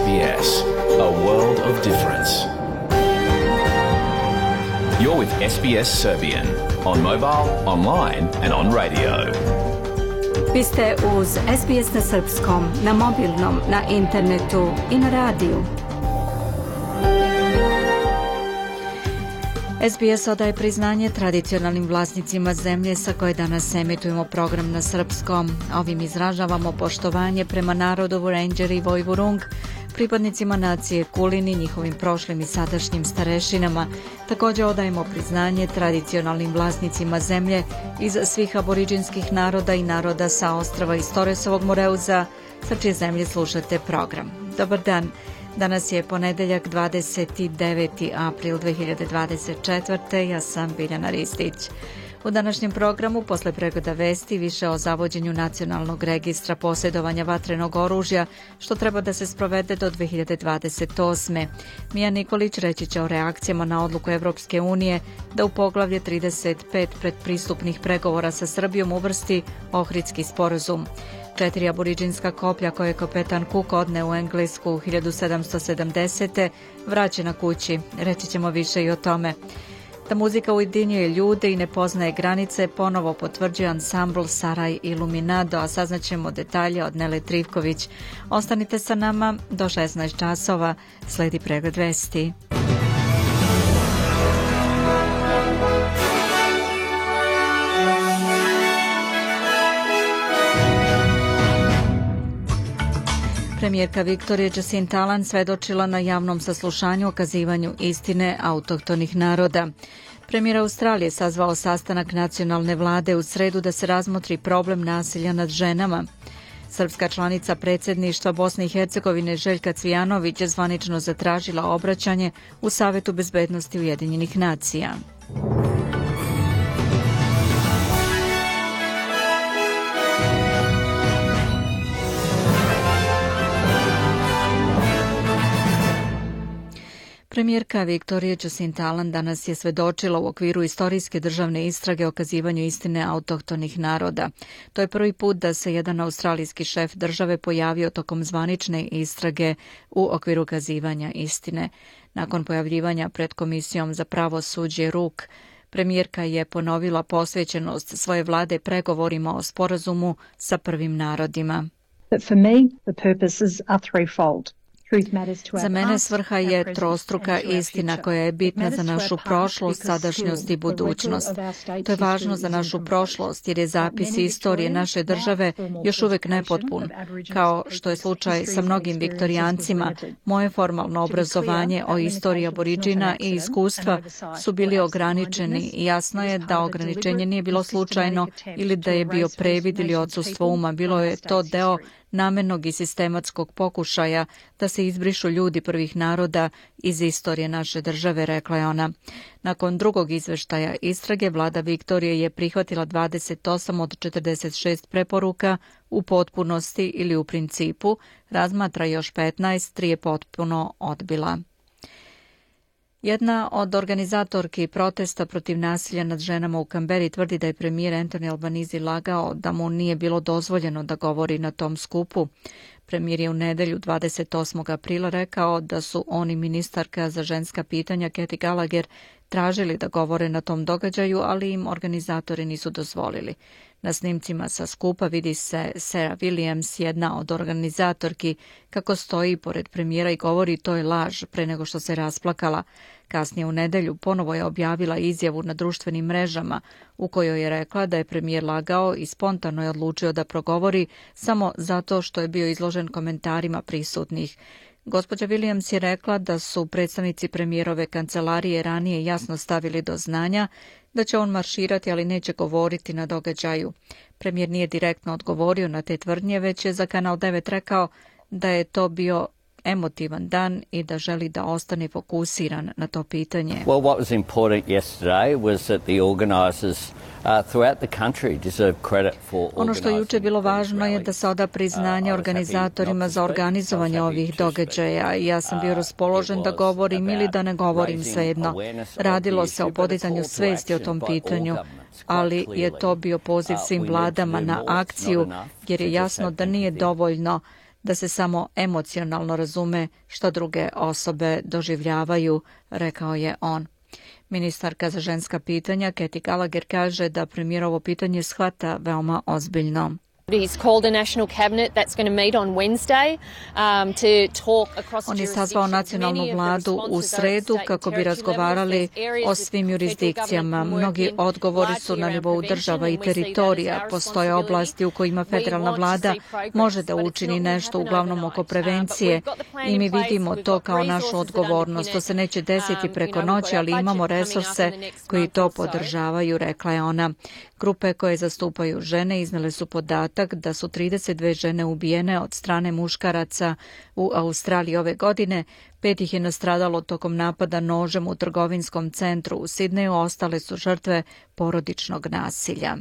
SBS, a world of difference. You're with SBS Serbian on mobile, online and on radio. Vi ste uz SBS na srpskom, na mobilnom, na internetu i na radiju. SBS odaje priznanje tradicionalnim vlasnicima zemlje sa koje danas emitujemo program na srpskom. Ovim izražavamo poštovanje prema narodu Vurendjeri i Vojvurung, pripadnicima nacije Kulini, njihovim prošlim i sadašnjim starešinama. Također odajemo priznanje tradicionalnim vlasnicima zemlje iz svih aboriđinskih naroda i naroda sa ostrava iz Toresovog Moreuza, sa čije zemlje slušate program. Dobar dan. Danas je ponedeljak 29. april 2024. Ja sam Biljana Ristić. U današnjem programu, posle pregleda vesti, više o zavođenju nacionalnog registra posjedovanja vatrenog oružja, što treba da se sprovede do 2028. Mija Nikolić reći će o reakcijama na odluku Evropske unije da u poglavlje 35 predpristupnih pregovora sa Srbijom uvrsti Ohridski sporazum. 4 aboriđinska koplja koje je kapetan Cook odneo u Englesku 1770. vraćena kući. Reći ćemo više i o tome. Da muzika ujedinjuje ljude i ne poznaje granice, ponovo potvrđuje ansambl Saraj Iluminado, a saznaćemo detalje od Nele Trivković. Ostanite sa nama do 16 časova, sledi pregled vesti. Premijerka Viktorija Jacinta Allan svedočila na javnom saslušanju o okazivanju istine autohtonih naroda. Premijer Australije sazvao sastanak nacionalne vlade u sredu da se razmotri problem nasilja nad ženama. Srpska članica predsjedništva Bosne i Hercegovine Željka Cvijanović je zvanično zatražila obraćanje u Savetu bezbednosti Ujedinjenih nacija. Premijerka Viktorija Jacinta Allan danas je svedočila u okviru istorijske državne istrage o okazivanju istine autohtonih naroda. To je prvi put da se jedan australijski šef države pojavio tokom zvanične istrage u okviru okazivanja istine. Nakon pojavljivanja pred Komisijom za pravosuđe RUK, premijerka je ponovila posvećenost svoje vlade pregovorima o sporazumu sa prvim narodima. For me, the purposes are threefold. Za mene svrha je trostruka istina koja je bitna za našu prošlost, sadašnjost i budućnost. To je važno za našu prošlost jer je zapis istorije naše države još uvijek nepotpun. Kao što je slučaj sa mnogim viktorijancima, moje formalno obrazovanje o istoriji aboriđina i iskustva su bili ograničeni i jasno je da ograničenje nije bilo slučajno ili da je bio previd ili odsustvo uma. Bilo je to deo namjernog i sistematskog pokušaja da se izbrišu ljudi prvih naroda iz istorije naše države, rekla je ona. Nakon drugog izveštaja istrage, vlada Viktorije je prihvatila 28 od 46 preporuka u potpunosti ili u principu, razmatra još 15, 3 je potpuno odbila. Jedna od organizatorki protesta protiv nasilja nad ženama u Kamberi tvrdi da je premijer Anthony Albanese lagao da mu nije bilo dozvoljeno da govori na tom skupu. Premijer je u nedelju 28. aprila rekao da su on i ministarka za ženska pitanja Cathy Gallagher tražili da govore na tom događaju, ali im organizatori nisu dozvolili. Na snimcima sa skupa vidi se Sarah Williams, jedna od organizatorki, kako stoji pored premijera i govori to je laž pre nego što se rasplakala. Kasnije u nedelju ponovo je objavila izjavu na društvenim mrežama u kojoj je rekla da je premijer lagao i spontano je odlučio da progovori samo zato što je bio izložen komentarima prisutnih. Gospođa Williams je rekla da su predstavnici premijerove kancelarije ranije jasno stavili do znanja da će on marširati, ali neće govoriti na događaju. Premijer nije direktno odgovorio na te tvrdnje, već je za Kanal 9 rekao da je to bio emotivan dan i da želi da ostane fokusiran na to pitanje. Well, what was important yesterday was that the organisers throughout the country deserve credit for. Ono što je juče bilo važno je da se oda priznanje organizatorima za organizovanje ovih događaja. Ja sam bio raspoložen da govorim ili da ne govorim, svejedno. Radilo se o podizanju svesti o tom pitanju, ali je to bio poziv svim vladama na akciju, jer je jasno da nije dovoljno da se samo emocionalno razume što druge osobe doživljavaju, rekao je on. Ministarka za ženska pitanja Katy Gallagher kaže da premijer ovo pitanje shvata veoma ozbiljno. On je sazvao nacionalnu vladu u sredu kako bi razgovarali o svim jurisdikcijama. Mnogi odgovori su na nivou država i teritorija. Postoje oblasti u kojima federalna vlada može da učini nešto, uglavnom oko prevencije, i mi vidimo to kao našu odgovornost. To se neće desiti preko noći, ali imamo resurse koji to podržavaju, rekla je ona. Grupe koje zastupaju žene iznele su podatak da su 32 žene ubijene od strane muškaraca u Australiji ove godine. 5 ih je nastradalo tokom napada nožem u trgovinskom centru u Sidneju, ostale su žrtve porodičnog nasilja.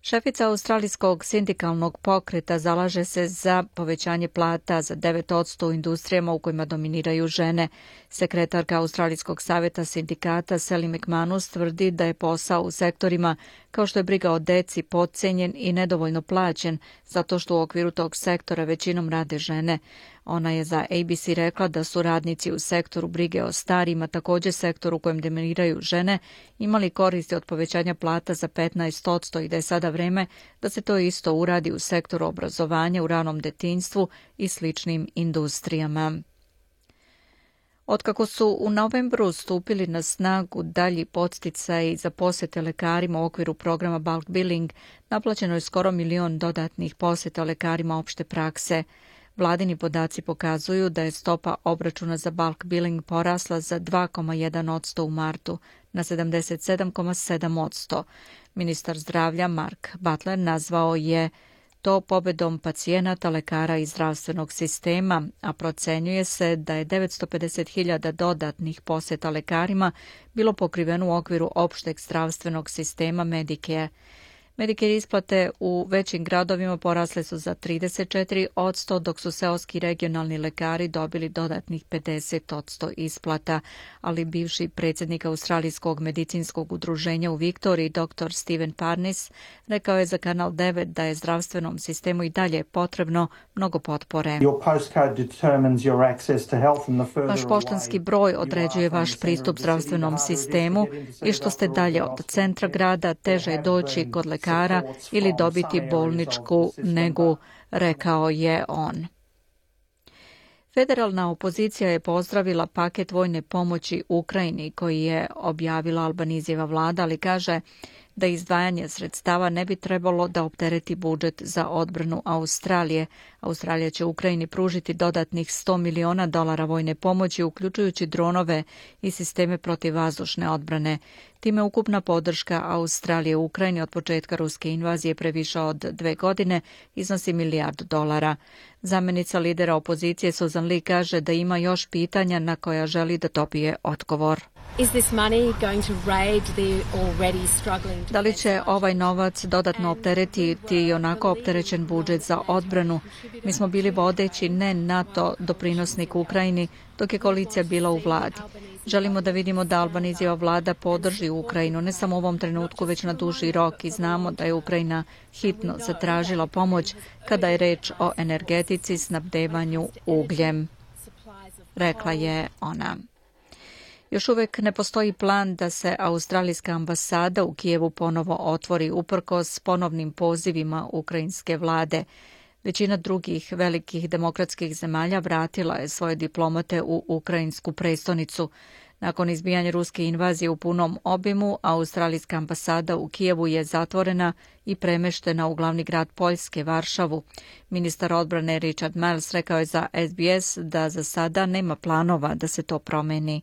Šefica australijskog sindikalnog pokreta zalaže se za povećanje plata za 9% u industrijama u kojima dominiraju žene. Sekretarka Australijskog savjeta sindikata Sally McManus tvrdi da je posao u sektorima kao što je briga o deci potcenjen i nedovoljno plaćen, zato što u okviru tog sektora većinom rade žene. Ona je za ABC rekla da su radnici u sektoru brige o starima, također sektoru u kojem dominiraju žene, imali koristi od povećanja plata za 15% i da je sada vreme da se to isto uradi u sektoru obrazovanja, u ranom detinjstvu i sličnim industrijama. Otkako su u novembru stupili na snagu dalji podsticaji za posete lekarima u okviru programa bulk billing, naplaćeno je skoro 1 milion dodatnih poseta lekarima opšte prakse. Vladini podaci pokazuju da je stopa obračuna za bulk billing porasla za 2,1% u martu na 77,7%. Ministar zdravlja Mark Butler nazvao je to pobedom pacijenata, lekara i zdravstvenog sistema, a procenjuje se da je 950.000 dodatnih poseta lekarima bilo pokriveno u okviru opšteg zdravstvenog sistema Medicare. Medicare isplate u većim gradovima porasle su za 34%, dok su seoski regionalni lekari dobili dodatnih 50% isplata, ali bivši predsjednik Australijskog medicinskog udruženja u Viktoriji, dr. Steven Parnis, rekao je za Kanal 9 da je zdravstvenom sistemu i dalje potrebno mnogo potpore. Vaš poštanski broj određuje vaš pristup zdravstvenom sistemu i što ste dalje od centra grada, teže je doći kod lekara ili dobiti bolničku negu, rekao je on. Federalna opozicija je pozdravila paket vojne pomoći Ukrajini koji je objavila Albanizijeva vlada, ali kaže da izdvajanje sredstava ne bi trebalo da optereti budžet za odbranu Australije. Australija će Ukrajini pružiti dodatnih $100 miliona vojne pomoći, uključujući dronove i sisteme protivvazdušne odbrane. Time ukupna podrška Australije u Ukrajini od početka ruske invazije previše od 2 godine iznosi $1 milijardu. Zamjenica lidera opozicije Susan Lee kaže da ima još pitanja na koja želi da dobije odgovor. Da li će ovaj novac dodatno opteretiti i onako opterećen budžet za odbranu? Mi smo bili vodeći ne NATO doprinosnik Ukrajini dok je koalicija bila u vladi. Želimo da vidimo da Albanizijeva vlada podrži Ukrajinu, ne samo u ovom trenutku, već na duži rok, i znamo da je Ukrajina hitno zatražila pomoć kada je reč o energetici, snabdevanju ugljem, rekla je ona. Još uvek ne postoji plan da se australijska ambasada u Kijevu ponovo otvori uprkos ponovnim pozivima ukrajinske vlade. Većina drugih velikih demokratskih zemalja vratila je svoje diplomate u ukrajinsku prestonicu. Nakon izbijanja ruske invazije u punom obimu, australijska ambasada u Kijevu je zatvorena i premeštena u glavni grad Poljske, Varšavu. Ministar odbrane Richard Marles rekao je za SBS da za sada nema planova da se to promeni.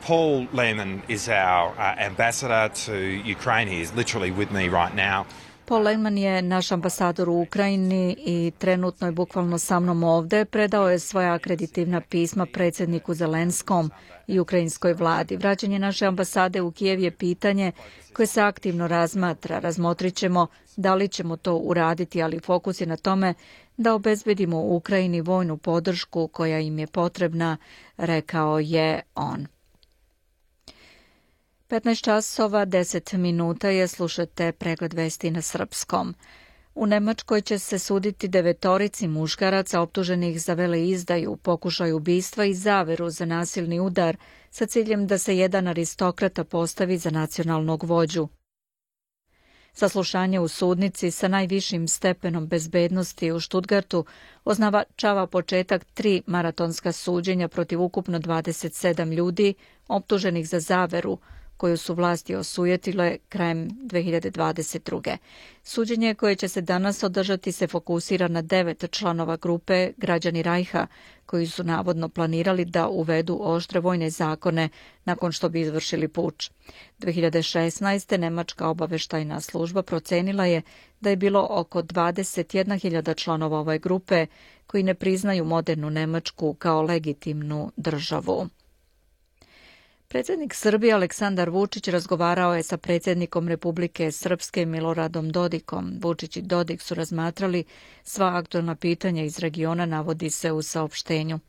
Paul Lehman is our ambassador to Ukraine. He is literally with me right now. Paul Lehman je naš ambasador u Ukrajini i trenutno je bukvalno sa mnom ovde. Predao je svoja akreditivna pisma predsjedniku Zelenskom i ukrajinskoj vladi. Vraćanje naše ambasade u Kijev je pitanje koje se aktivno razmatra. Razmotrit ćemo da li ćemo to uraditi, ali fokus je na tome da obezbedimo u Ukrajini vojnu podršku koja im je potrebna, rekao je on. 15 časova, 10 minuta je, slušate pregled vesti na srpskom. U Nemačkoj će se suditi 9 muškaraca optuženih za veleizdaju, pokušaj ubistva i zaveru za nasilni udar sa ciljem da se jedan aristokrata postavi za nacionalnog vođu. Saslušanje u sudnici sa najvišim stepenom bezbednosti u Stuttgartu označava početak 3 maratonska suđenja protiv ukupno 27 ljudi optuženih za zaveru, koju su vlasti osujetile krajem 2022. Suđenje koje će se danas održati se fokusira na 9 članova grupe Građani Rajha, koji su navodno planirali da uvedu oštre vojne zakone nakon što bi izvršili puč. 2016. Nemačka obaveštajna služba procenila je da je bilo oko 21.000 članova ove grupe koji ne priznaju modernu Nemačku kao legitimnu državu. Predsjednik Srbije Aleksandar Vučić razgovarao je sa predsjednikom Republike Srpske Miloradom Dodikom. Vučić i Dodik su razmatrali sva aktualna pitanja iz regiona, navodi se u saopštenju.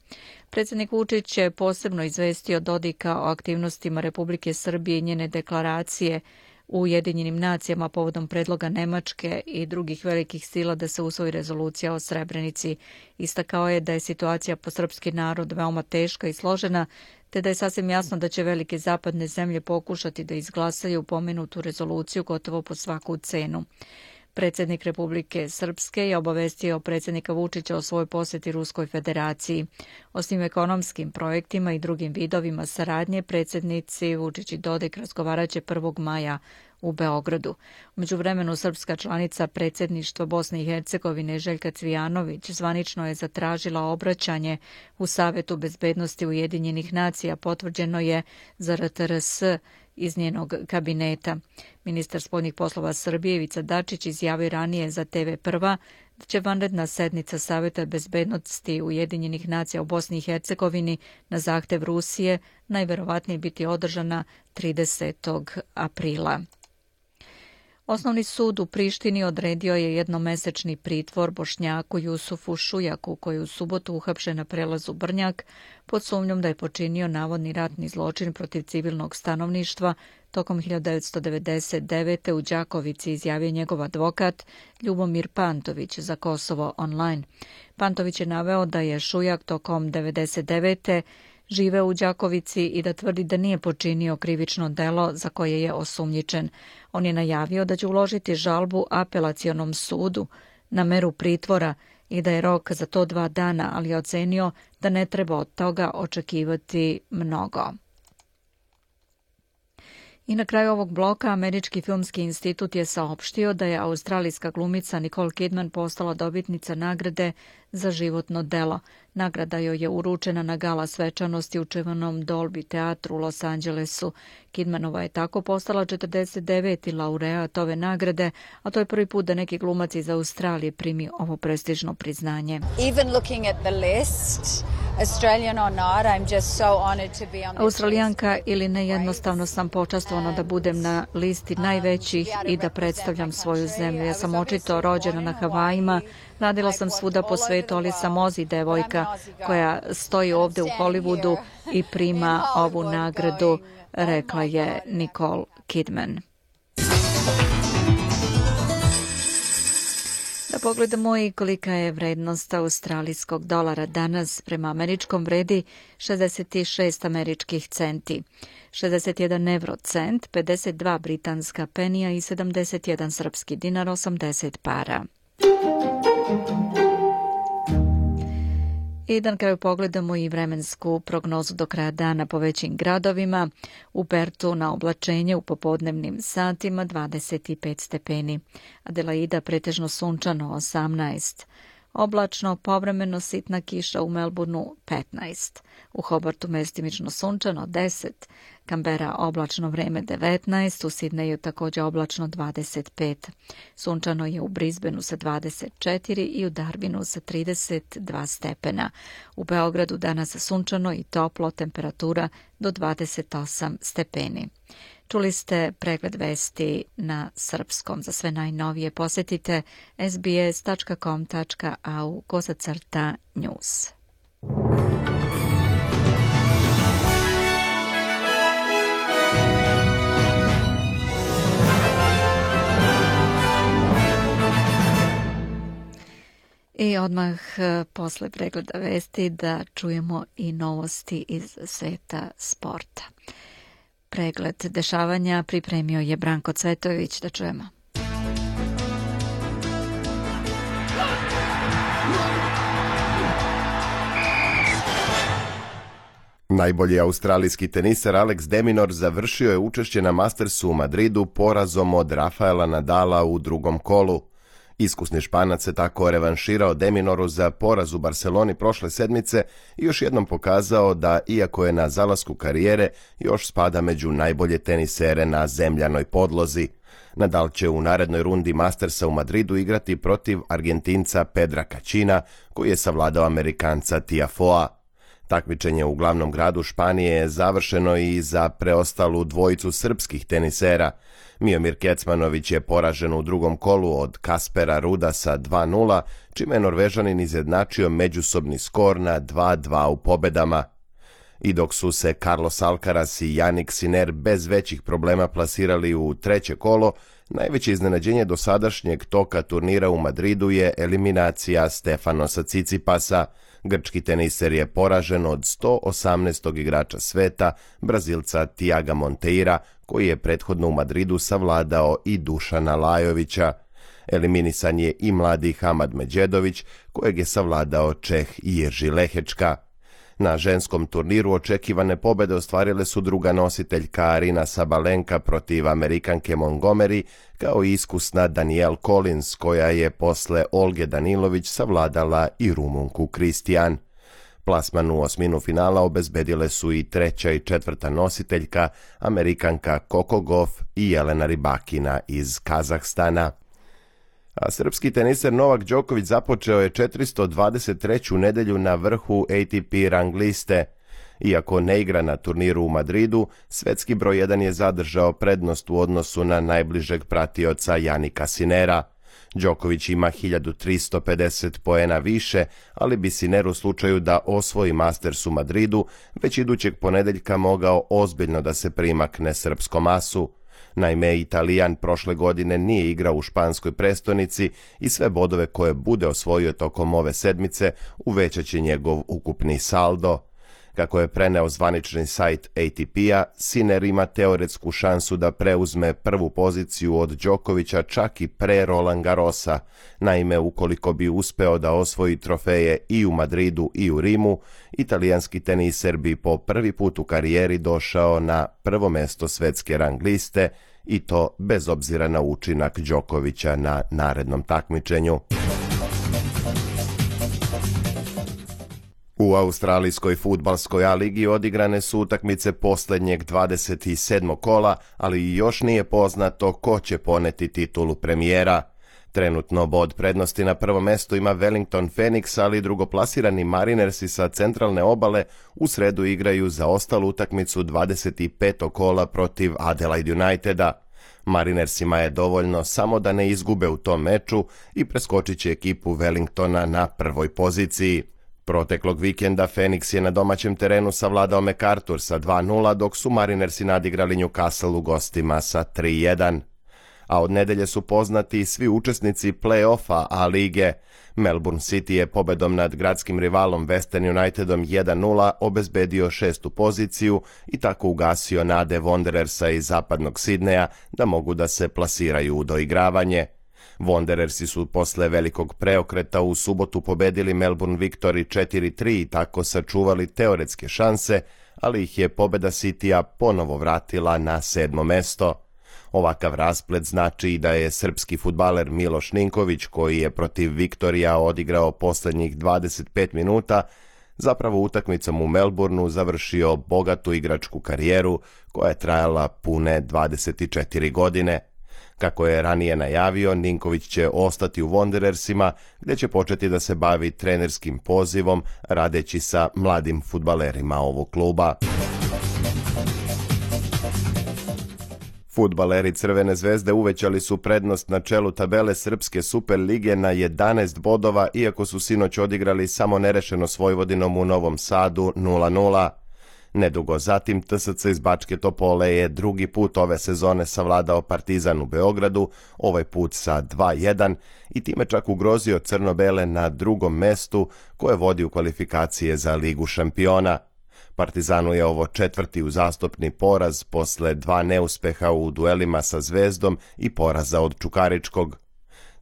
Predsjednik Vučić je posebno izvestio Dodika o aktivnostima Republike Srbije i njene deklaracije u Ujedinjenim nacijama povodom predloga Nemačke i drugih velikih sila da se usvoji rezolucija o Srebrenici. Istakao je da je situacija po srpski narod veoma teška i složena, te da je sasvim jasno da će velike zapadne zemlje pokušati da izglasaju pomenutu rezoluciju gotovo po svaku cenu. Predsjednik Republike Srpske je obavestio predsjednika Vučića o svojoj posjeti Ruskoj federaciji. O svim ekonomskim projektima i drugim vidovima saradnje predsjednici Vučić i Dodik razgovaraće 1. maja u Beogradu. U međuvremenu srpska članica predsjedništva Bosne i Hercegovine Željka Cvijanović zvanično je zatražila obraćanje u Savetu bezbednosti Ujedinjenih nacija, potvrđeno je za RTRS iz njenog kabineta. Ministar spoljnih poslova Srbije Ivica Dačić izjavio ranije za TV Prva da će vanredna sednica Saveta bezbednosti Ujedinjenih nacija u Bosni i Hercegovini na zahtev Rusije najverovatnije biti održana 30. aprila. Osnovni sud u Prištini odredio je jednomesečni pritvor Bošnjaku Jusufu Šujaku, koji je u subotu uhapšen na prelazu Brnjak pod sumnjom da je počinio navodni ratni zločin protiv civilnog stanovništva tokom 1999. u Đakovici, izjavio njegov advokat Ljubomir Pantović za Kosovo online. Pantović je naveo da je Šujak tokom 1999. živeo u Đakovici i da tvrdi da nije počinio krivično delo za koje je osumnjičen. On je najavio da će uložiti žalbu apelacionom sudu na meru pritvora i da je rok za to 2 dana, ali je ocenio da ne treba od toga očekivati mnogo. I na kraju ovog bloka Američki filmski institut je saopštio da je australijska glumica Nicole Kidman postala dobitnica nagrade za životno delo. Nagrada joj je uručena na gala svečanosti u čuvenom Dolby teatru u Los Angelesu. Kidmanova je tako postala 49. laureat ove nagrade, a to je prvi put da neki glumac iz Australije primi ovo prestižno priznanje. Australijanka ili ne, jednostavno sam počastvovana da budem na listi najvećih i da predstavljam svoju zemlju. Ja sam očito rođena na Havajima, radila sam svuda po svetu, ali sam Ozi devojka koja stoji ovde u Hollywoodu i prima ovu nagradu, rekla je Nicole Kidman. Da pogledamo i kolika je vrednost australijskog dolara danas. Prema američkom vredi 66 američkih centi, 61 eurocent, 52 britanska penija i 71 srpski dinar, 80 para. I da na kraju pogledamo i vremensku prognozu do kraja dana po većim gradovima. U Pertu na oblačenje u popodnevnim satima 25 stepeni. Adelaida pretežno sunčano 18. Oblačno, povremeno sitna kiša u Melbourneu 15. U Hobartu mestimično sunčano 10. Kambera oblačno vreme 19. U Sidneju također oblačno 25. Sunčano je u Brisbaneu sa 24 i u Darwinu sa 32 stepena. U Beogradu danas sunčano i toplo, temperatura do 28 stepeni. Čuli ste pregled vesti na srpskom. Za sve najnovije posjetite sbs.com.au/news. I odmah posle pregleda vesti da čujemo i novosti iz sveta sporta. Pregled dešavanja pripremio je Branko Cvetojević, da čujemo. Najbolji australijski teniser Alex de Minaur završio je učešće na Mastersu u Madridu porazom od Rafaela Nadala u drugom kolu. Iskusni Španac se tako revanširao de Minauru za poraz u Barceloni prošle sedmice i još jednom pokazao da, iako je na zalasku karijere, još spada među najbolje tenisere na zemljanoj podlozi. Nadal će u narednoj rundi Mastersa u Madridu igrati protiv Argentinca Pedra Kacina, koji je savladao Amerikanca Tiafoea. Takmičenje u glavnom gradu Španije je završeno i za preostalu dvojicu srpskih tenisera. Miomir Kecmanović je poražen u drugom kolu od Kaspera Ruda sa 2:0, čime je Norvežanin izjednačio međusobni skor na 2:2 u pobedama. I dok su se Carlos Alcaraz i Jannik Sinner bez većih problema plasirali u treće kolo, najveće iznenađenje dosadašnjeg toka turnira u Madridu je eliminacija Stefanosa Tsitsipasa. Grčki teniser je poražen od 118. igrača sveta, Brazilca Tiaga Monteira, koji je prethodno u Madridu savladao i Dušana Lajovića. Eliminisan je i mladi Hamad Medjedović, kojeg je savladao Čeh Jirži Lehečka. Na ženskom turniru očekivane pobede ostvarile su druga nositeljka Arina Sabalenka protiv Amerikanke Montgomery, kao i iskusna Danielle Collins, koja je posle Olge Danilović savladala i Rumunku Kristijan. Plasman u osminu finala obezbedile su i treća i četvrta nositeljka, Amerikanka Coco Gauff i Jelena Rybakina iz Kazahstana. A srpski teniser Novak Đoković započeo je 423. nedelju na vrhu ATP rang liste. Iako ne igra na turniru u Madridu, svetski broj 1 je zadržao prednost u odnosu na najbližeg pratioca Jannika Sinnera. Đoković ima 1350 poena više, ali bi Sinner u slučaju da osvoji Masters u Madridu već idućeg ponedeljka mogao ozbiljno da se primakne srpskom asu. Naime, Italijan prošle godine nije igrao u španskoj prestonici i sve bodove koje bude osvojio tokom ove sedmice uvećat će njegov ukupni saldo. Kako je preneo zvanični sajt ATP-a, Sinner ima teoretsku šansu da preuzme prvu poziciju od Đokovića čak i pre Roland Garrosa. Naime, ukoliko bi uspeo da osvoji trofeje i u Madridu i u Rimu, italijanski teniser bi po prvi put u karijeri došao na prvo mesto svetske rang liste, i to bez obzira na učinak Đokovića na narednom takmičenju. U australijskoj fudbalskoj A-ligi odigrane su utakmice posljednjeg 27. kola, ali još nije poznato ko će poneti titulu premijera. Trenutno bod prednosti na prvo mesto ima Wellington Phoenix, ali drugoplasirani Marinersi sa centralne obale u sredu igraju za ostalu utakmicu 25. kola protiv Adelaide Uniteda. Marinersima je dovoljno samo da ne izgube u tom meču i preskočit će ekipu Wellingtona na prvoj poziciji. Proteklog vikenda Phoenix je na domaćem terenu savladao MacArthur sa 2:0, dok su Marinersi nadigrali Newcastle u gostima sa 3:1. A od nedelje su poznati svi učesnici play-offa A-lige. Melbourne City je pobedom nad gradskim rivalom Western Unitedom 1:0 obezbedio 6. poziciju i tako ugasio nade Wanderersa iz zapadnog Sidneja da mogu da se plasiraju u doigravanje. Wanderersi su posle velikog preokreta u subotu pobedili Melbourne Victory 4:3 i tako sačuvali teoretske šanse, ali ih je pobeda Citya ponovo vratila na 7. mesto. Ovakav rasplet znači i da je srpski fudbaler Miloš Ninković, koji je protiv Viktorija odigrao posljednjih 25 minuta, zapravo utakmicom u Melbourneu završio bogatu igračku karijeru koja je trajala pune 24 godine. Kako je ranije najavio, Ninković će ostati u Wanderersima, gdje će početi da se bavi trenerskim pozivom, radeći sa mladim fudbalerima ovog kluba. Fudbaleri Crvene zvezde uvećali su prednost na čelu tabele Srpske Super lige na 11 bodova, iako su sinoć odigrali samo nerešeno s Vojvodinom u Novom Sadu 0:0. Nedugo zatim TSC iz Bačke Topole je drugi put ove sezone savladao Partizan u Beogradu, ovaj put sa 2:1 i time čak ugrozio crno-bele na drugom mestu koje vodi u kvalifikacije za Ligu šampiona. Partizanu je ovo četvrti uzastopni poraz posle 2 neuspeha u duelima sa Zvezdom i poraza od Čukaričkog.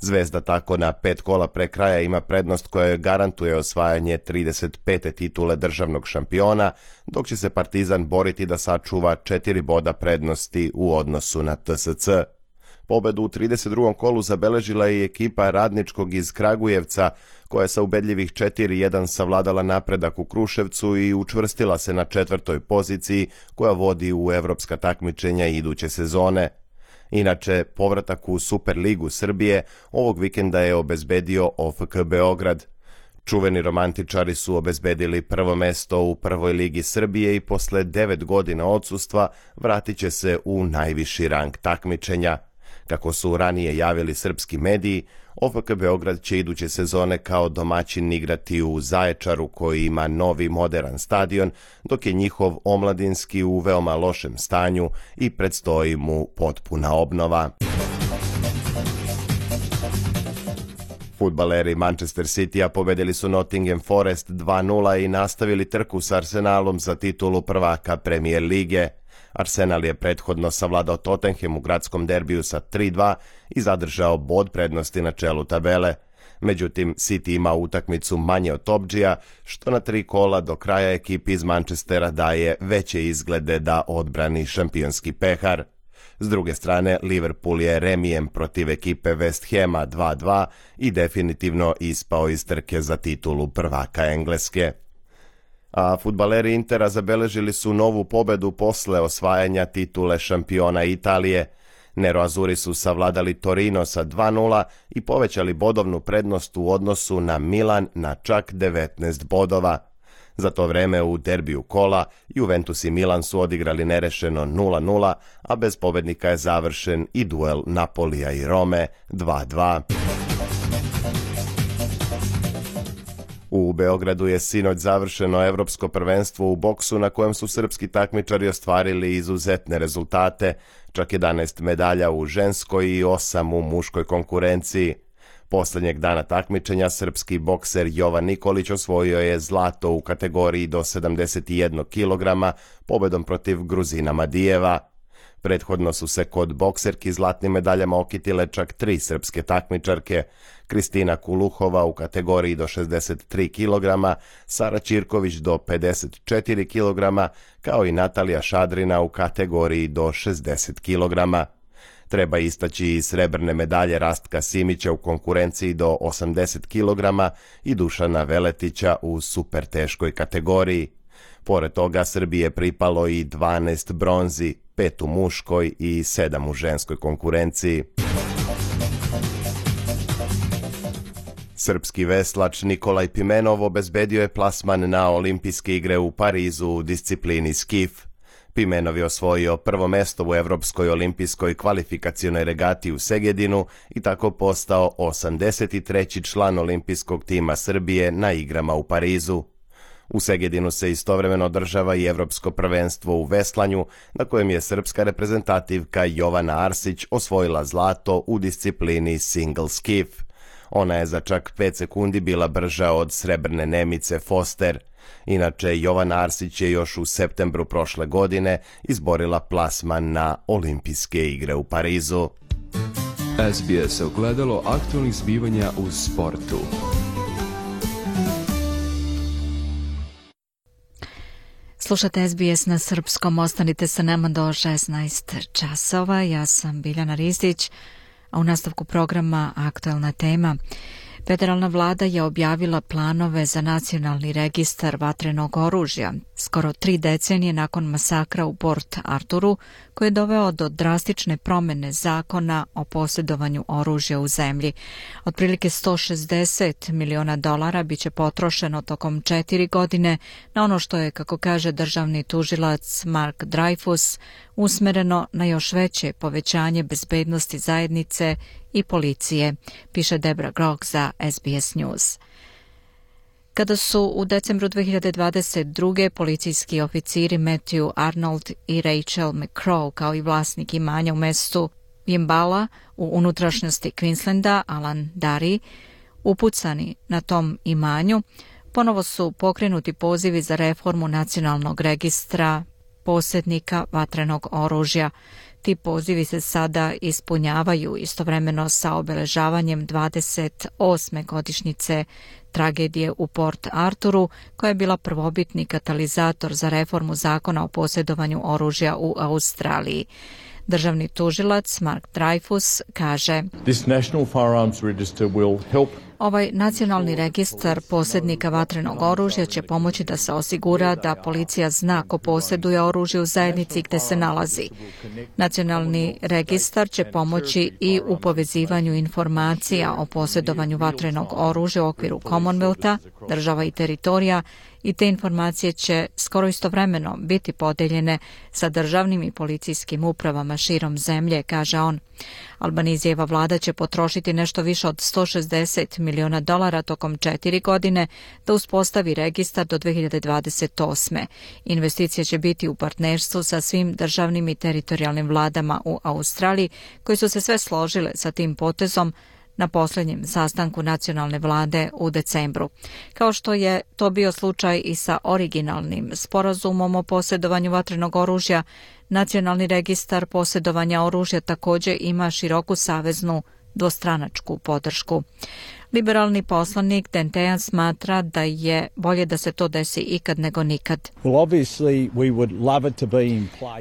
Zvezda tako na 5 kola pre kraja ima prednost koja joj garantuje osvajanje 35. titule državnog šampiona, dok će se Partizan boriti da sačuva 4 boda prednosti u odnosu na TSC. Pobedu u 32. kolu zabeležila je i ekipa Radničkog iz Kragujevca, koja je sa ubedljivih 4:1 savladala napredak u Kruševcu i učvrstila se na 4. poziciji koja vodi u evropska takmičenja iduće sezone. Inače, povratak u Superligu Srbije ovog vikenda je obezbedio OFK Beograd. Čuveni romantičari su obezbedili prvo mesto u prvoj ligi Srbije i posle 9 godina odsustva vratit će se u najviši rang takmičenja. Kako su ranije javili srpski mediji, OFK Beograd će iduće sezone kao domaćin igrati u Zaječaru koji ima novi moderan stadion, dok je njihov omladinski u veoma lošem stanju i predstoji mu potpuna obnova. Fudbaleri Manchester Citya pobedili su Nottingham Forest 2:0 i nastavili trku s Arsenalom za titulu prvaka Premier lige. Arsenal je prethodno savladao Tottenham u gradskom derbiju sa 3:2 i zadržao bod prednosti na čelu tabele. Međutim, City ima utakmicu manje od Topđija, što na 3 kola do kraja ekipi iz Manchestera daje veće izglede da odbrani šampionski pehar. S druge strane, Liverpool je remijem protiv ekipe West Hama 2:2 i definitivno ispao iz trke za titulu prvaka Engleske. A fudbaleri Intera zabeležili su novu pobedu posle osvajanja titule šampiona Italije. Neroazuri su savladali Torino sa 2:0 i povećali bodovnu prednost u odnosu na Milan na čak 19 bodova. Za to vreme u derbiju kola Juventus i Milan su odigrali nerešeno 0:0, a bez pobednika je završen i duel Napolija i Rome 2:2. U Beogradu je sinoć završeno evropsko prvenstvo u boksu na kojem su srpski takmičari ostvarili izuzetne rezultate, čak 11 medalja u ženskoj i 8 u muškoj konkurenciji. Poslednjeg dana takmičenja srpski bokser Jovan Nikolić osvojio je zlato u kategoriji do 71 kg pobedom protiv Gruzina Madijeva. Prethodno su se kod bokserki zlatnim medaljama okitile čak 3 srpske takmičarke: Kristina Kuluhova u kategoriji do 63 kg, Sara Ćirković do 54 kg, kao i Natalija Šadrina u kategoriji do 60 kg. Treba istaći i srebrne medalje Rastka Simića u konkurenciji do 80 kg i Dušana Veletića u super teškoj kategoriji. Pored toga Srbiji je pripalo i 12 bronzi, 5 u muškoj i 7 u ženskoj konkurenciji. Srpski veslač Nikolaj Pimenov obezbedio je plasman na olimpijske igre u Parizu u disciplini skif. Pimenov je osvojio prvo mesto u Evropskoj olimpijskoj kvalifikacionoj regati u Segedinu i tako postao 83. član olimpijskog tima Srbije na igrama u Parizu. U Segedinu se istovremeno održava i Evropsko prvenstvo u veslanju, na kojem je srpska reprezentativka Jovana Arsić osvojila zlato u disciplini single skif. Ona je za čak 5 sekundi bila brža od srebrne Nemice Foster. Inače, Jovana Arsić je još u septembru prošle godine izborila plasman na olimpijske igre u Parizu. SBS ogledalo aktualnih zbivanja u sportu. Slušate SBS na srpskom, ostanite sa nama do 16 časova. Ja sam Biljana Ristić, a u nastavku programa aktualna tema. Federalna vlada je objavila planove za nacionalni registar vatrenog oružja, skoro 3 decenije nakon masakra u Port Arturu, koji je doveo do drastične promene zakona o posjedovanju oružja u zemlji. Otprilike $160 miliona biće potrošeno tokom 4 godine na ono što je, kako kaže državni tužilac Mark Dreyfus, usmereno na još veće povećanje bezbednosti zajednice i policije, piše Debra Grog za SBS News. Kada su u decembru 2022. policijski oficiri Matthew Arnold i Rachel McCraw, kao i vlasnik imanja u mestu Yimbala u unutrašnjosti Queenslanda, Alan Darry, upucani na tom imanju, ponovo su pokrenuti pozivi za reformu nacionalnog registra posjednika vatrenog oružja. Ti pozivi se sada ispunjavaju istovremeno sa obeležavanjem 28. godišnjice tragedije u Port Arturu, koja je bila prvobitni katalizator za reformu zakona o posjedovanju oružja u Australiji. Državni tužilac Mark Dreyfus kaže: This National Firearms Register will help. Ovaj nacionalni registar posjednika vatrenog oružja će pomoći da se osigura da policija zna ko posjeduje oružje u zajednici gde se nalazi. Nacionalni registar će pomoći i u povezivanju informacija o posjedovanju vatrenog oružja u okviru Commonwealtha, država i teritorija, i te informacije će skoro istovremeno biti podeljene sa državnim i policijskim upravama širom zemlje, kaže on. Albanizijeva vlada će potrošiti nešto više od $160 miliona tokom 4 godine da uspostavi registar do 2028. Investicije će biti u partnerstvu sa svim državnim i teritorijalnim vladama u Australiji, koji su se sve složile sa tim potezom na posljednjem sastanku nacionalne vlade u decembru. Kao što je to bio slučaj i sa originalnim sporazumom o posjedovanju vatrenog oružja, nacionalni registar posjedovanja oružja također ima široku saveznu dvostranačku podršku. Liberalni poslanik Dan Tehan smatra da je bolje da se to desi ikad nego nikad.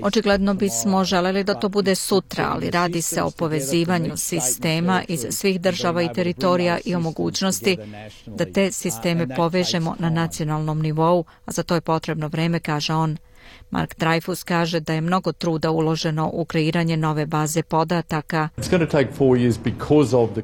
Očigledno bismo želeli da to bude sutra, ali radi se o povezivanju sistema iz svih država i teritorija i o mogućnosti da te sisteme povežemo na nacionalnom nivou, a za to je potrebno vreme, kaže on. Mark Dreyfus kaže da je mnogo truda uloženo u kreiranje nove baze podataka.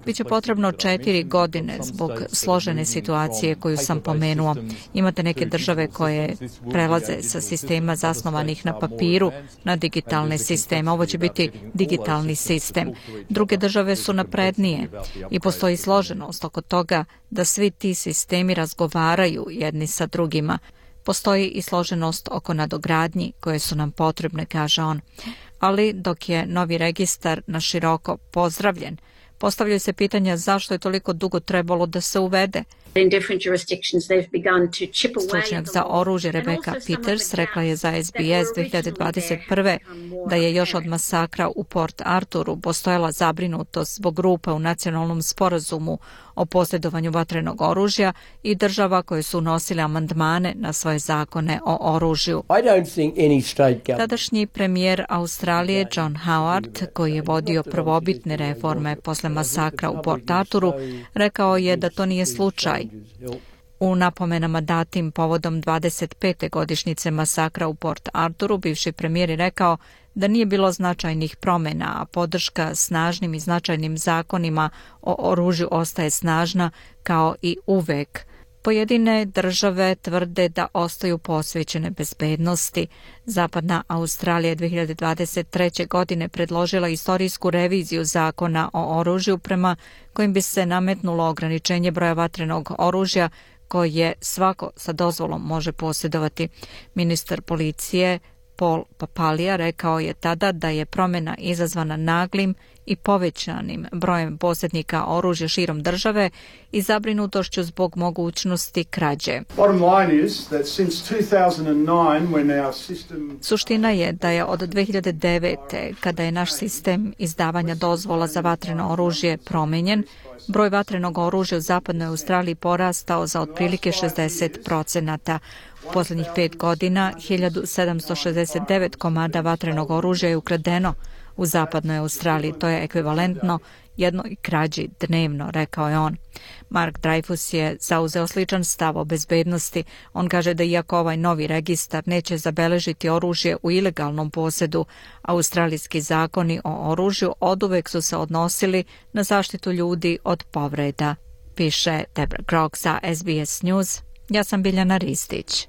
Biće potrebno 4 godine zbog složene situacije koju sam pomenuo. Imate neke države koje prelaze sa sistema zasnovanih na papiru na digitalne sisteme. Ovo će biti digitalni sistem. Druge države su naprednije i postoji složenost oko toga da svi ti sistemi razgovaraju jedni sa drugima. Postoji i složenost oko nadogradnji koje su nam potrebne, kaže on. Ali dok je novi registar na široko pozdravljen, postavljaju se pitanja zašto je toliko dugo trebalo da se uvede. Stručnjak za oružje Rebecca Peters rekla je za SBS 2021. da je još od masakra u Port Arturu postojala zabrinutost zbog rupa u nacionalnom sporazumu o posjedovanju vatrenog oružja i država koje su unosile amandmane na svoje zakone o oružju. Tadašnji premijer Australije John Howard, koji je vodio prvobitne reforme posle masakra u Port Arturu, rekao je da to nije slučaj. U napomenama datim povodom 25. godišnjice masakra u Port Arturu, bivši premijer je rekao da nije bilo značajnih promjena, a podrška snažnim i značajnim zakonima o oružju ostaje snažna kao i uvek. Pojedine države tvrde da ostaju posvećene bezbednosti. Zapadna Australija je 2023. godine predložila istorijsku reviziju zakona o oružju prema kojim bi se nametnulo ograničenje broja vatrenog oružja koje svako sa dozvolom može posjedovati. Ministar policije Paul Papalija rekao je tada da je promjena izazvana naglim i povećanim brojem posjednika oružja širom države i zabrinutošću zbog mogućnosti krađe. Suština je da je od 2009. kada je naš sistem izdavanja dozvola za vatreno oružje promenjen, broj vatrenog oružja u zapadnoj Australiji porastao za otprilike 60%. U posljednjih 5 godina 1769 komada vatrenog oružja je ukradeno u zapadnoj Australiji. To je ekvivalentno jednoj krađi dnevno, rekao je on. Mark Dreyfus je zauzeo sličan stav o bezbednosti. On kaže da iako ovaj novi registar neće zabeležiti oružje u ilegalnom posjedu, australijski zakoni o oružju oduvek su se odnosili na zaštitu ljudi od povreda, piše Deborah Grok za SBS News. Ja sam Biljana Ristić.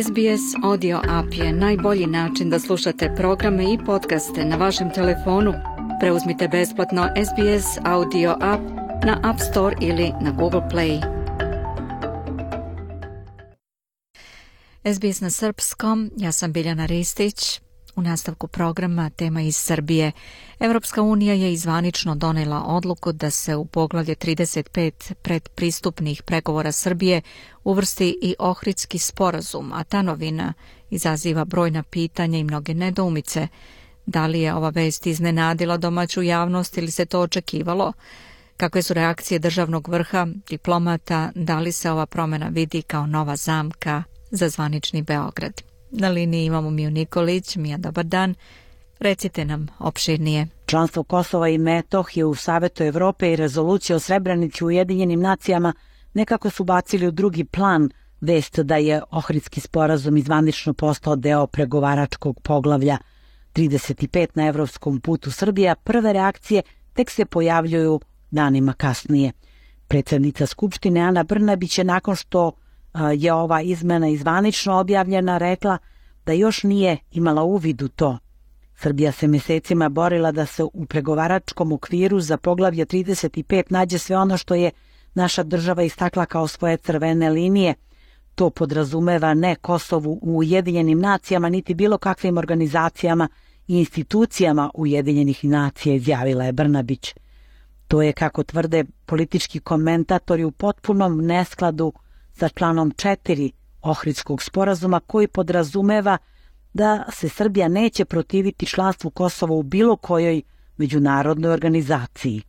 SBS Audio App je najbolji način da slušate programe i podcaste na vašem telefonu. Preuzmite besplatno SBS Audio App na App Store ili na Google Play. SBS na srpskom, ja sam Biljana Ristić. U nastavku programa tema iz Srbije. Evropska unija je zvanično donela odluku da se u poglavlje 35 predpristupnih pregovora Srbije uvrsti i Ohridski sporazum, a ta novina izaziva brojna pitanja i mnoge nedoumice. Da li je ova vest iznenadila domaću javnost ili se to očekivalo? Kakve su reakcije državnog vrha, diplomata, da li se ova promjena vidi kao nova zamka za zvanični Beograd? Na liniji imamo Miju Nikolić. Mija, dobar dan. Recite nam opširnije. Članstvo Kosova i Metohije u Savetu Evrope i rezolucija o Srebrenici u Ujedinjenim nacijama nekako su bacili u drugi plan vest da je Ohridski sporazum zvanično postao deo pregovaračkog poglavlja 35 na evropskom putu Srbije, a prve reakcije tek se pojavljuju danima kasnije. Predsjednica Skupštine Ana Brnabić je nakon što je ova izmena zvanično objavljena rekla da još nije imala uvid u to. Srbija se mjesecima borila da se u pregovaračkom okviru za poglavlje 35 nađe sve ono što je naša država istakla kao svoje crvene linije. To podrazumeva ne Kosovu u Ujedinjenim nacijama, niti bilo kakvim organizacijama i institucijama Ujedinjenih nacija, izjavila je Brnabić. To je, kako tvrde politički komentatori, u potpunom neskladu sa članom 4 Ohridskog sporazuma koji podrazumeva da se Srbija neće protiviti članstvu Kosova u bilo kojoj međunarodnoj organizaciji.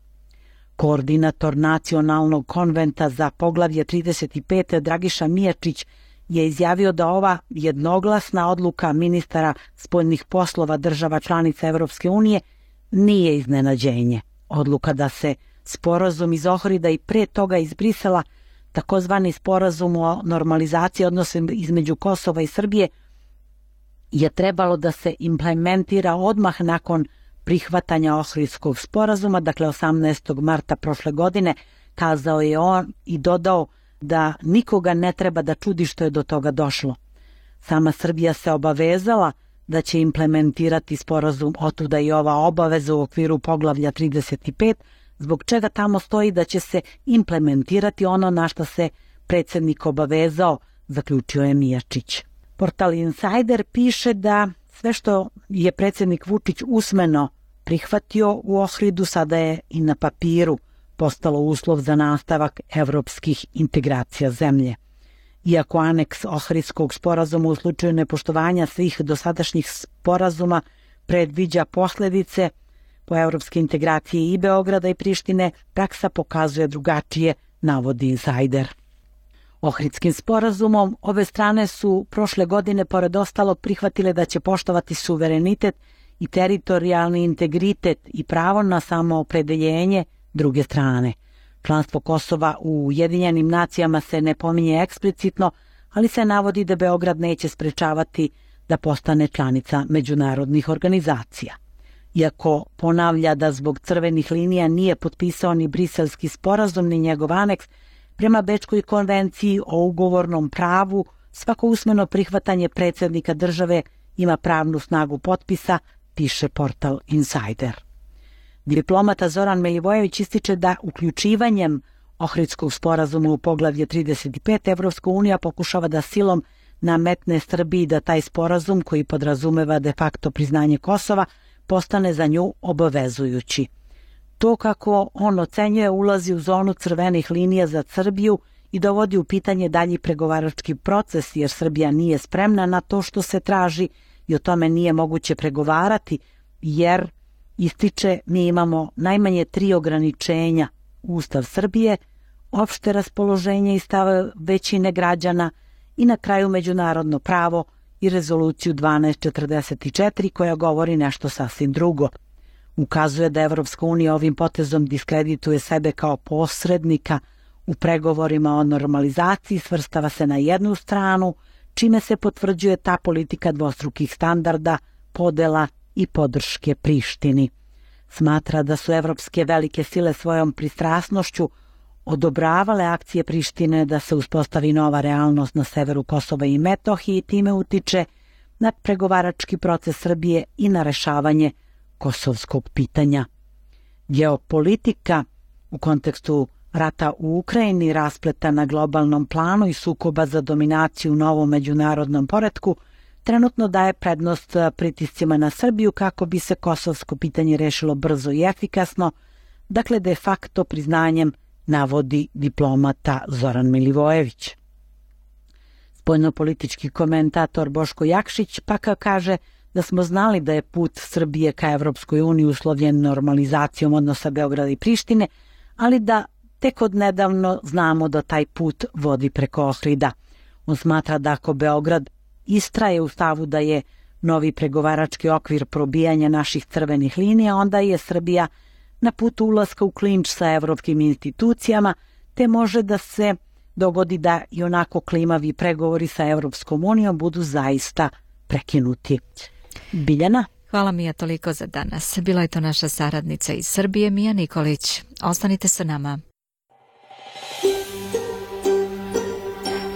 Koordinator Nacionalnog konventa za poglavlje 35 Dragiša Mijačić je izjavio da ova jednoglasna odluka ministara spoljnih poslova država članica Evropske unije nije iznenađenje. Odluka da se sporazum iz Ohrida i pre toga iz Brisela, takozvani sporazum o normalizaciji odnosa između Kosova i Srbije, je trebalo da se implementira odmah nakon prihvatanja Ohridskog sporazuma, dakle 18. marta prošle godine, kazao je on i dodao da nikoga ne treba da čudi što je do toga došlo. Sama Srbija se obavezala da će implementirati sporazum, otuda i ova obaveza u okviru poglavlja 35, zbog čega tamo stoji da će se implementirati ono na što se predsjednik obavezao, zaključio je Mijačić. Portal Insider piše da sve što je predsjednik Vučić usmeno prihvatio u Ohridu sada je i na papiru postalo uslov za nastavak evropskih integracija zemlje. Iako aneks Ohridskog sporazuma u slučaju nepoštovanja svih dosadašnjih sporazuma predviđa posljedice po evropske integracije i Beograda i Prištine, praksa pokazuje drugačije, navodi Insider. Ohridskim sporazumom obe strane su prošle godine pored ostalo prihvatile da će poštovati suverenitet i teritorijalni integritet i pravo na samoopredeljenje druge strane. Članstvo Kosova u Ujedinjenim nacijama se ne pominje eksplicitno, ali se navodi da Beograd neće sprečavati da postane članica međunarodnih organizacija. Iako ponavlja da zbog crvenih linija nije potpisao ni Briselski sporazum ni njegov aneks, prema Bečkoj konvenciji o ugovornom pravu, svako usmeno prihvatanje predsjednika države ima pravnu snagu potpisa, piše portal Insider. Diplomata Zoran Milivojević ističe da uključivanjem Ohridskog sporazuma u poglavlje 35 Evropska unija pokušava da silom nametne Srbiji da taj sporazum, koji podrazumeva de facto priznanje Kosova, postane za nju obavezujući. To, kako on ocenjuje, ulazi u zonu crvenih linija za Srbiju i dovodi u pitanje dalji pregovarački proces, jer Srbija nije spremna na to što se traži i o tome nije moguće pregovarati, jer, ističe, mi imamo najmanje 3 ograničenja: Ustav Srbije, opšte raspoloženje i stav većine građana i na kraju međunarodno pravo i rezoluciju 1244 koja govori nešto sasvim drugo. Ukazuje da Evropska unija ovim potezom diskredituje sebe kao posrednika u pregovorima o normalizaciji, svrstava se na jednu stranu, čime se potvrđuje ta politika dvostrukih standarda, podela i podrške Prištini. Smatra da su evropske velike sile svojom pristrasnošću odobravale akcije Prištine da se uspostavi nova realnost na severu Kosova i Metohije i time utiče na pregovarački proces Srbije i na rešavanje kosovskog pitanja. Geopolitika u kontekstu rata u Ukrajini, raspleta na globalnom planu i sukoba za dominaciju u novom međunarodnom poretku, trenutno daje prednost pritiscima na Srbiju kako bi se kosovsko pitanje rešilo brzo i efikasno, dakle de facto priznanjem, navodi diplomata Zoran Milivojević. Spoljnopolitički komentator Boško Jakšić pak kaže da smo znali da je put Srbije ka Evropskoj uniji uslovljen normalizacijom odnosa Beograda i Prištine, ali da tek od nedavno znamo da taj put vodi preko Ohrida. On smatra da ako Beograd istraje u stavu da je novi pregovarački okvir probijanja naših crvenih linija, onda je Srbija na putu ulaska u klinč sa evropskim institucijama, te može da se dogodi da i onako klimavi pregovori sa Evropskom unijom budu zaista prekinuti. Biljana? Hvala Mija toliko za danas. Bila je to naša saradnica iz Srbije, Mija Nikolić. Ostanite sa nama.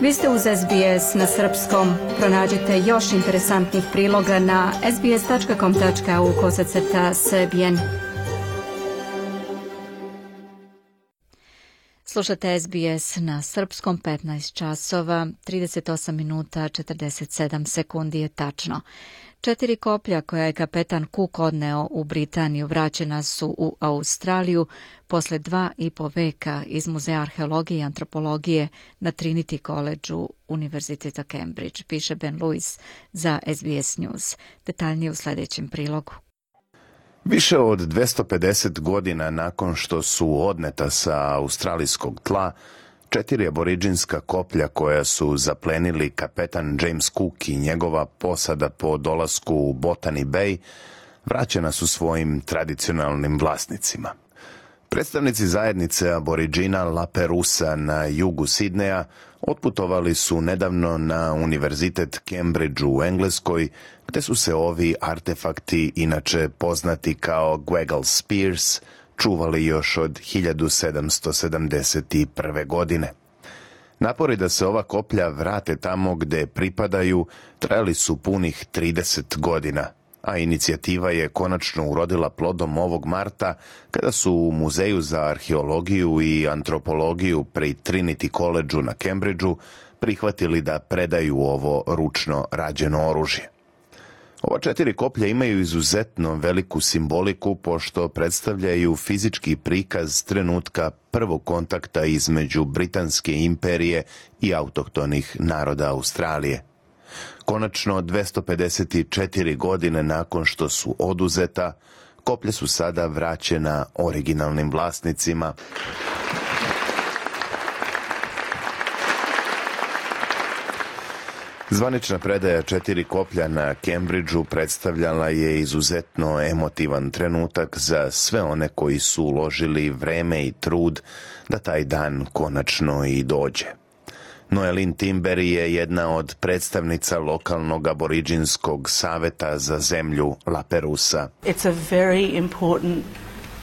Vi ste uz SBS na srpskom. Pronađite još interesantnih priloga na sbs.com.au/srbijen. Slušate SBS na srpskom, 15 časova, 38 minuta, 47 sekundi je tačno. 4 koplja koja je kapetan Cook odneo u Britaniju vraćena su u Australiju posle 2,5 veka iz Muzeja arheologije i antropologije na Trinity College-u Univerziteta Cambridge, piše Ben Lewis za SBS News. Detaljnije u sljedećem prilogu. Više od 250 godina nakon što su odneta sa australijskog tla, 4 aboriđinska koplja koja su zaplenili kapetan James Cook i njegova posada po dolasku u Botany Bay vraćena su svojim tradicionalnim vlasnicima. Predstavnici zajednice aboriđina Laperusa na jugu Sidneja otputovali su nedavno na Univerzitet Cambridge u Engleskoj, gde su se ovi artefakti, inače poznati kao Gwaggle Spears, čuvali još od 1771. godine. Napori da se ova koplja vrate tamo gde pripadaju trajali su punih 30 godina, a inicijativa je konačno urodila plodom ovog marta kada su u Muzeju za arheologiju i antropologiju pri Trinity College-u na Cambridgeu prihvatili da predaju ovo ručno rađeno oružje. Ova 4 koplja imaju izuzetno veliku simboliku pošto predstavljaju fizički prikaz trenutka prvog kontakta između Britanske imperije i autohtonih naroda Australije. Konačno, 254 godine nakon što su oduzeta, koplja su sada vraćena originalnim vlasnicima. Zvanična predaja 4 koplja na Cambridgeu predstavljala je izuzetno emotivan trenutak za sve one koji su uložili vreme i trud da taj dan konačno i dođe. Noelin Timber je jedna od predstavnica lokalnog aboriđinskog saveta za zemlju Laperusa. It's a very important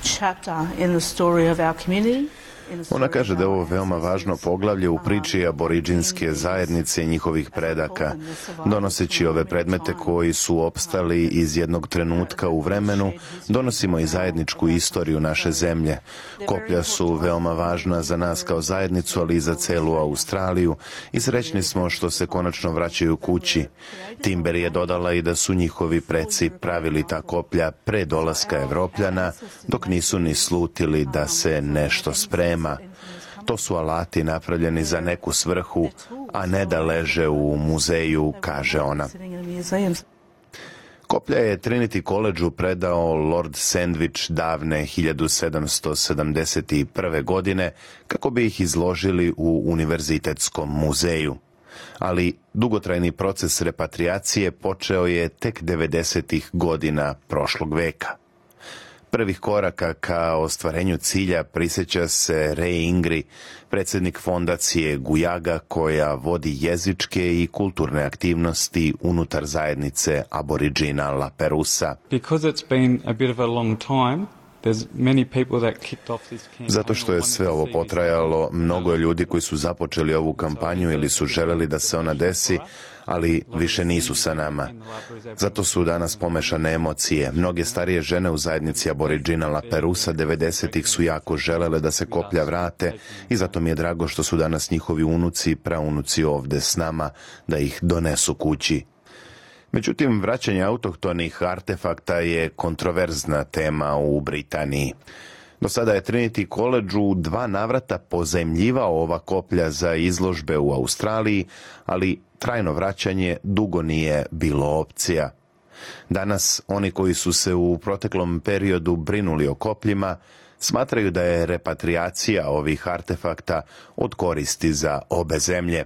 chapter in the story of our community. Ona kaže da je ovo veoma važno poglavlje u priči aboriđinske zajednice i njihovih predaka. Donoseći ove predmete koji su opstali iz jednog trenutka u vremenu, donosimo i zajedničku istoriju naše zemlje. Koplja su veoma važna za nas kao zajednicu, ali i za celu Australiju i srećni smo što se konačno vraćaju kući. Timber je dodala i da su njihovi preci pravili ta koplja pre dolaska Evropljana, dok nisu ni slutili da se nešto sprema. To su alati napravljeni za neku svrhu, a ne da leže u muzeju, kaže ona. Koplja je Trinity College-u predao Lord Sandwich davne 1771. godine kako bi ih izložili u Univerzitetskom muzeju. Ali dugotrajni proces repatriacije počeo je tek 90. godina prošlog veka. Prvih koraka ka ostvarenju cilja prisjeća se Ray Ingri, predsjednik fondacije Guyaga koja vodi jezičke i kulturne aktivnosti unutar zajednice aboriđina Laperusa. Because it's been a bit of a long time, Zato što je sve ovo potrajalo, mnogo je ljudi koji su započeli ovu kampanju ili su želeli da se ona desi, ali više nisu sa nama. Zato su danas pomešane emocije. Mnoge starije žene u zajednici Aboriginala Perusa 90-ih su jako želele da se koplja vrate i zato mi je drago što su danas njihovi unuci i praunuci ovde s nama da ih donesu kući. Međutim, vraćanje autohtonih artefakta je kontroverzna tema u Britaniji. Do sada je Trinity College u 2 navrata pozajmljivao ova koplja za izložbe u Australiji, ali trajno vraćanje dugo nije bilo opcija. Danas, oni koji su se u proteklom periodu brinuli o kopljima, smatraju da je repatriacija ovih artefakta od koristi za obe zemlje.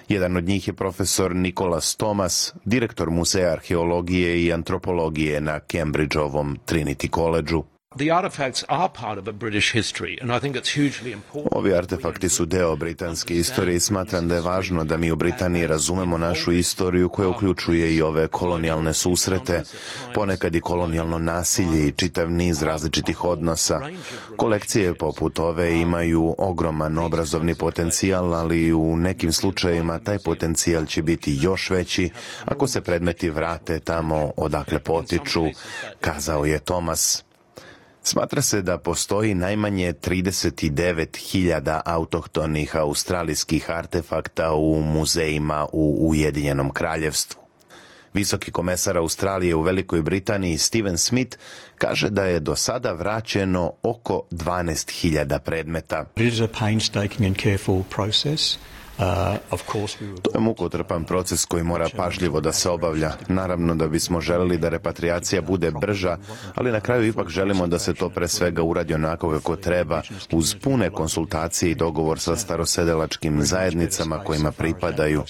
Jedan od njih je profesor Nicholas Thomas, direktor Muzeja arheologije i antropologije na Cambridgeovom Trinity Collegeu. Ovi artefakti su deo britanske istorije i smatram da je važno da mi u Britaniji razumemo našu istoriju koja uključuje i ove kolonijalne susrete, ponekad i kolonijalno nasilje i čitav niz različitih odnosa. Kolekcije poput ove imaju ogroman obrazovni potencijal, ali u nekim slučajevima taj potencijal će biti još veći ako se predmeti vrate tamo odakle potiču, kazao je Thomas. Smatra se da postoji najmanje 39.000 autohtonih australijskih artefakta u muzejima u Ujedinjenom Kraljevstvu. Visoki komesar Australije u Velikoj Britaniji Steven Smith kaže da je do sada vraćeno oko 12.000 predmeta. To je mukotrpan proces koji mora pažljivo da se obavlja. Naravno da bismo želeli da repatriacija bude brža, ali na kraju ipak želimo da se to pre svega uradi onako kako treba, uz pune konsultacije i dogovor sa starosedelačkim zajednicama kojima pripadaju.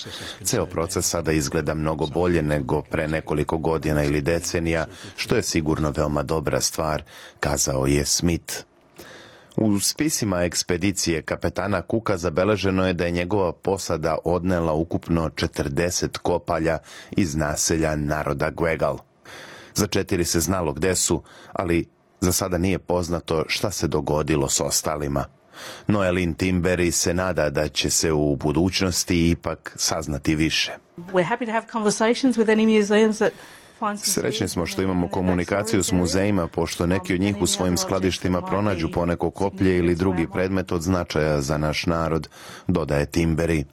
Ceo proces sada izgleda mnogo bolje nego pre nekoliko godina ili decenija, što je sigurno veoma dobra stvar, kazao je Smith. U spisima ekspedicije kapetana Cooka zabeleženo je da je njegova posada odnela ukupno 40 kopalja iz naselja naroda Gwegal. Za 4 se znalo gde su, ali za sada nije poznato šta se dogodilo s ostalima. Noelin Timberi se nada da će se u budućnosti ipak saznati više. Srećni smo što imamo komunikaciju s muzejima, pošto neki od njih u svojim skladištima pronađu poneko koplje ili drugi predmet od značaja za naš narod, dodaje Timberi.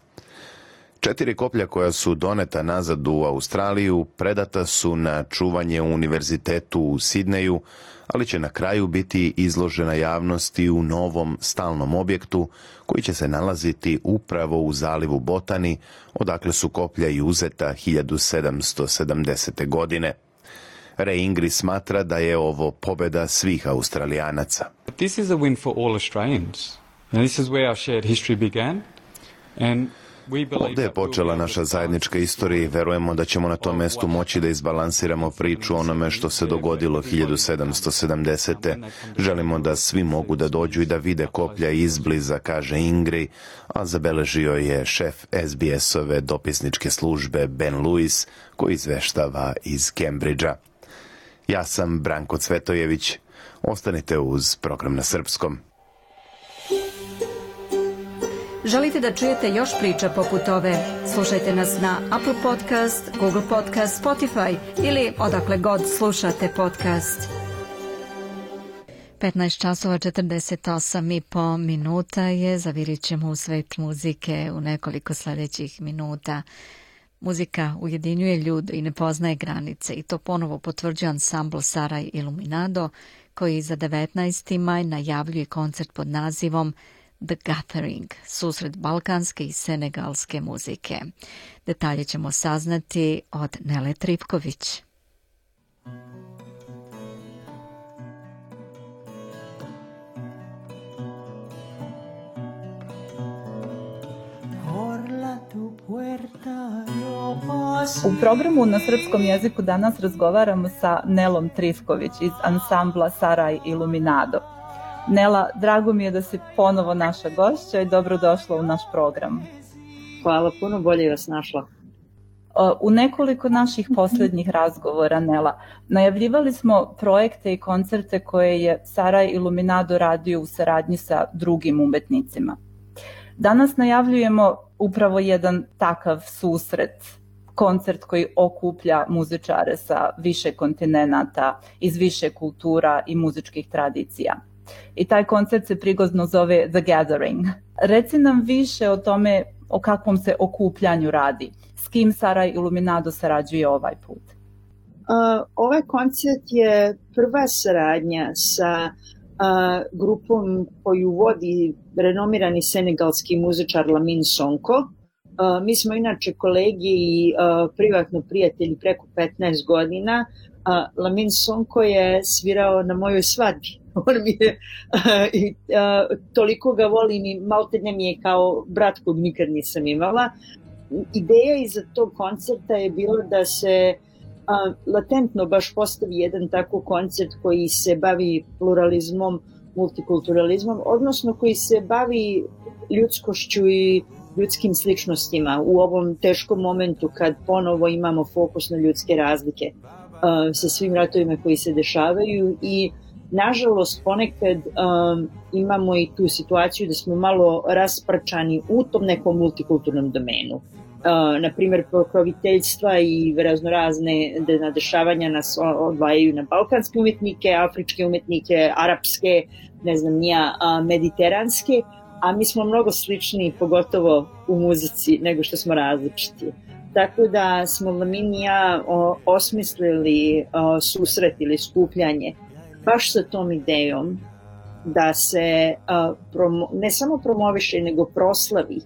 4 koplja koja su doneta nazad u Australiju predata su na čuvanje u univerzitetu u Sidneju, ali će na kraju biti izložena javnosti u novom stalnom objektu koji će se nalaziti upravo u zalivu Botani, odakle su koplja i uzeta 1770. godine. Ray Ingris smatra da je ovo pobeda svih Australijanaca. This is a win for all Australians. And this is where our shared history began. Ovdje je počela naša zajednička istorija i verujemo da ćemo na tom mestu moći da izbalansiramo priču onome što se dogodilo 1770. Želimo da svi mogu da dođu i da vide koplja izbliza, kaže Ingri, a zabeležio je šef SBS-ove dopisničke službe Ben Lewis, koji izveštava iz Cambridgea. Ja sam Branko Cvetojević. Ostanite uz program na srpskom. Želite da čujete još priča poput ove? Slušajte nas na Apple Podcast, Google Podcast, Spotify ili odakle god slušate podcast. 15:48 je, zavirit ćemo u svet muzike u nekoliko sljedećih minuta. Muzika ujedinjuje ljude i ne poznaje granice i to ponovo potvrđuje ansambl Saraj Iluminado, koji za 19. maj najavljuje koncert pod nazivom The Gathering, susret balkanske i senegalske muzike. Detalje ćemo saznati od Nele Tripković. U programu na srpskom jeziku danas razgovaramo sa Nelom Trifković iz ansambla Saraj Iluminado. Nela, drago mi je da si ponovo naša gošća i dobrodošla u naš program. Hvala puno, bolje vas našla. U nekoliko naših posljednjih razgovora, Nela, najavljivali smo projekte i koncerte koje je Saraj Iluminado radio u saradnji sa drugim umetnicima. Danas najavljujemo upravo jedan takav susret, koncert koji okuplja muzičare sa više kontinenata, iz više kultura i muzičkih tradicija. I taj koncert se prigozno zove The Gathering. Reci nam više o tome o kakvom se okupljanju radi. S kim Saraj Iluminado sarađuje ovaj put? Ovaj koncert je prva saradnja sa grupom koju vodi renomirani senegalski muzičar Lamine Sonko. Mi smo inače kolegi i privatno prijatelji preko 15 godina. Lamine Sonko je svirao na mojoj svadbi. On mi je, toliko ga volim i maltene mi je kao brat kog nikad nisam imala. Ideja iza tog koncerta je bila da se latentno baš postavi jedan tako koncert koji se bavi pluralizmom, multikulturalizmom, odnosno koji se bavi ljudskošću i ljudskim sličnostima u ovom teškom momentu kad ponovo imamo fokus na ljudske razlike sa svim ratovima koji se dešavaju i nažalost ponekad imamo i tu situaciju da smo malo rasprčani u tom nekom multikulturnom domenu. Naprimjer, pokroviteljstva i raznorazne dešavanja nas odvajaju na balkanske umetnike, afričke umetnike, arapske, ne znam nija, mediteranske, a mi smo mnogo slični, pogotovo u muzici, nego što smo različiti. Tako da smo Lamine i ja osmislili susret ili skupljanje baš sa tom idejom da se ne samo promoviše, nego proslavi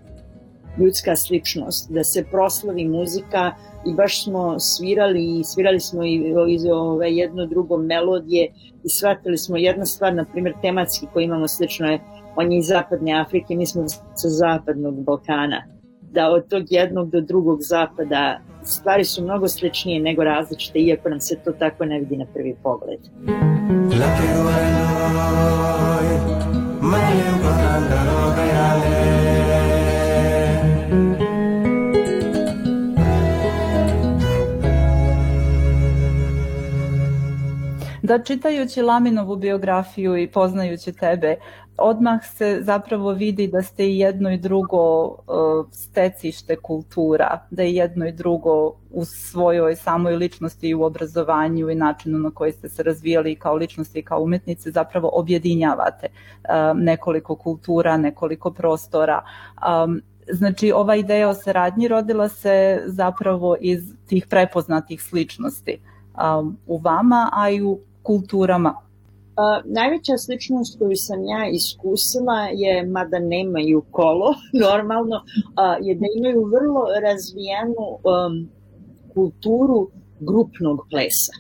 ljudska sličnost, da se proslavi muzika i baš smo svirali smo i jedno drugo melodije i shvatili smo jedna stvar, na primjer tematski koji imamo slično je, on je iz zapadne Afrike, mi smo sa zapadnog Balkana, da od tog jednog do drugog zapada stvari su mnogo sličnije nego različite, iako nam se to tako ne vidi na prvi pogled. Da, čitajući Laminovu biografiju i poznajući tebe, odmah se zapravo vidi da ste i jedno i drugo stecište kultura, da je jedno i drugo u svojoj samoj ličnosti i u obrazovanju i načinu na koji ste se razvijali kao ličnosti i kao umetnici zapravo objedinjavate nekoliko kultura, nekoliko prostora. Znači, ova ideja o saradnji rodila se zapravo iz tih prepoznatih sličnosti u vama, a i u kulturama. Najveća sličnost koju sam ja iskusila je, mada nemaju kolo, normalno, je da imaju vrlo razvijenu kulturu grupnog plesa.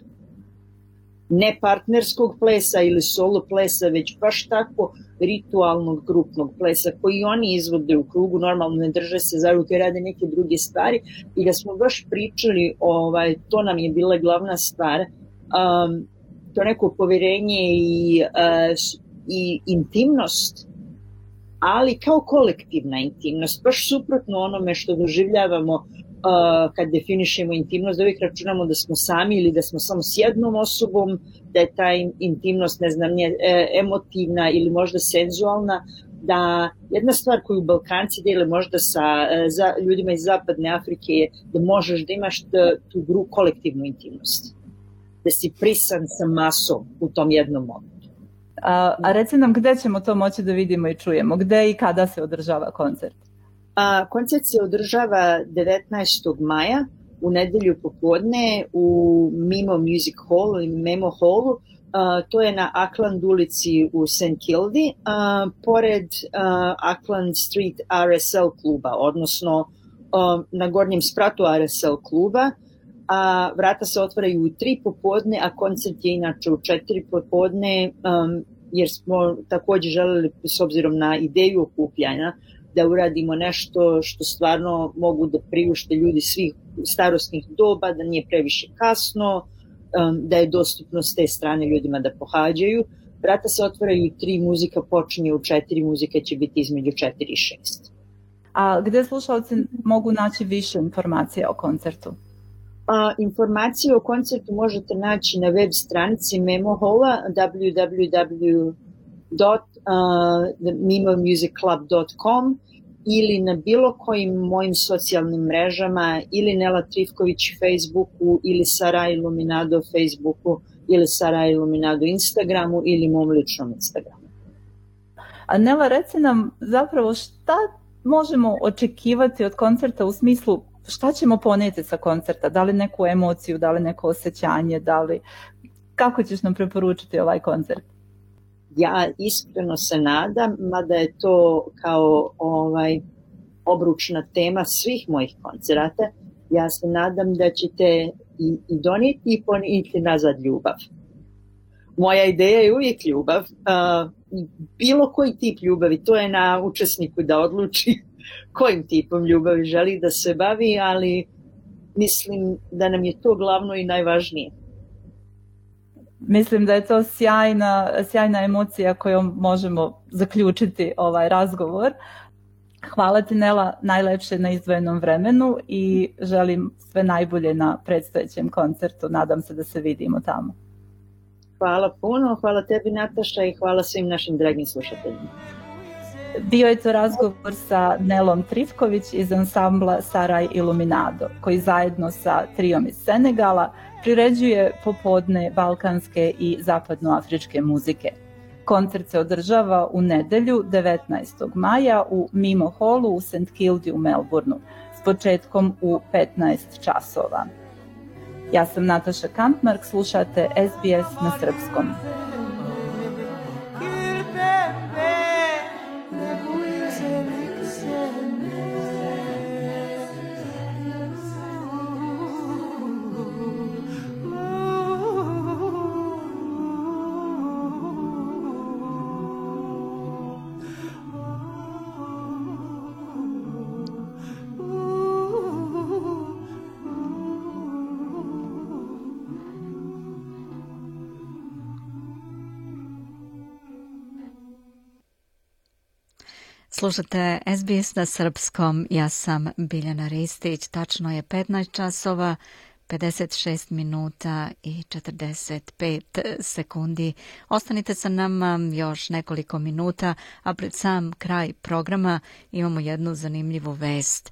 Ne partnerskog plesa ili solo plesa, već baš tako ritualnog grupnog plesa koji oni izvode u krugu, normalno ne drže se za ruke, rade neke druge stvari i da smo baš pričali, to nam je bila glavna stvar, to neko poverenje i intimnost, ali kao kolektivna intimnost, baš suprotno onome što doživljavamo kad definišemo intimnost, da uvijek računamo da smo sami ili da smo samo s jednom osobom, da je ta intimnost, ne znam, emotivna ili možda senzualna, da jedna stvar koju Balkanci dele možda sa ljudima iz zapadne Afrike je da možeš da imaš tu kolektivnu intimnost, da si prisan sa masom u tom jednom momentu. A reci nam gde ćemo to moći da vidimo i čujemo, gde i kada se održava koncert? Koncert se održava 19. maja u nedelju popodne u Mimo Music Hall ili Memo Hallu. To je na Auckland ulici u St. Kildi, pored Auckland Street RSL kluba, odnosno na gornjem spratu RSL kluba. Vrata se otvaraju u 3 popodne, a koncert je inače u 4 popodne, jer smo također želeli, s obzirom na ideju okupljanja, da uradimo nešto što stvarno mogu da priušte ljudi svih starosnih doba, da nije previše kasno, da je dostupno s te strane ljudima da pohađaju. Vrata se otvaraju 3, muzika počinje u 4, muzika će biti između 4 i 6. A gde slušalci mogu naći više informacija o koncertu? Informacije o koncertu možete naći na web stranici Memohola www.memomusicclub.com ili na bilo kojim mojim socijalnim mrežama ili Nela Trifković Facebooku ili Sara Iluminado Facebooku ili Sara Iluminado Instagramu ili mom ličnom Instagramu. A Nela, reci nam zapravo šta možemo očekivati od koncerta u smislu šta ćemo ponijeti sa koncerta, da li neku emociju, da li neko osjećanje, kako ćeš nam preporučiti ovaj koncert? Ja iskreno se nadam, mada je to kao obručna tema svih mojih koncerata, ja se nadam da ćete i donijeti i ponijeti nazad ljubav. Moja ideja je uvijek ljubav, bilo koji tip ljubavi, to je na učesniku da odluči kojim tipom ljubavi želi da se bavi, ali mislim da nam je to glavno i najvažnije. Mislim da je to sjajna emocija kojom možemo zaključiti ovaj razgovor. Hvala ti, Nela, najlepše na izdvojenom vremenu i želim sve najbolje na predstojećem koncertu. Nadam se da se vidimo tamo. Hvala puno, hvala tebi, Nataša, i hvala svim našim dragim slušateljima. Bio je to razgovor sa Nelom Trifković iz ansambla Saraj Iluminado, koji zajedno sa trijom iz Senegala priređuje popodne balkanske i zapadnoafričke muzike. Koncert se održava u nedelju 19. maja u Mimo Hallu u St. Kildi u Melbourneu s početkom u 15 časova. Ja sam Nataša Kampmark, slušate SBS na srpskom. Slušate SBS na srpskom, ja sam Biljana Ristić, tačno je 15 časova, 56 minuta i 45 sekundi. Ostanite sa nama još nekoliko minuta, a pred sam kraj programa imamo jednu zanimljivu vest.